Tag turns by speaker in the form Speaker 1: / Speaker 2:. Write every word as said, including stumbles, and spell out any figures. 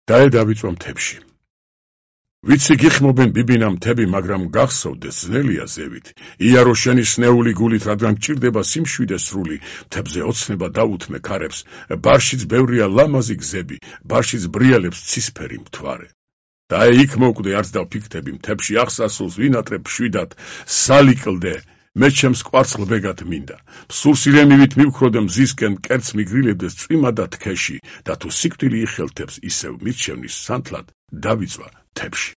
Speaker 1: დაე დავიწვა მთებში. ვიცი გიხმობენ ბიბინა მთები, მაგრამ გახსოვდეს ძნელია ზევით. იარო შენი სნეული გულით, რადგან გჭირდება სიმშვიდე სრული, მთებზე ოცნება დაუთმე ქარებს, ბარშიც ბევრია ლამაზი გზები, ბარშიც ბრიალებს ცისფერი მთვარე. დაე იქ მოკვდე, არც დავფიქრდები მთებში აღსასრულს ვინატრებ შვიდად, სალიკლდე, მე ჩემს კვარცხლბეგად მინდა. სურსილემივით მივქროდე მზისკენ, კერც მიგრილებდეს წვიმა და თქეში, და თუ სიკვდილი იხელთებს ისევ მირჩევნის სანთლად, დავიწვა მთებში.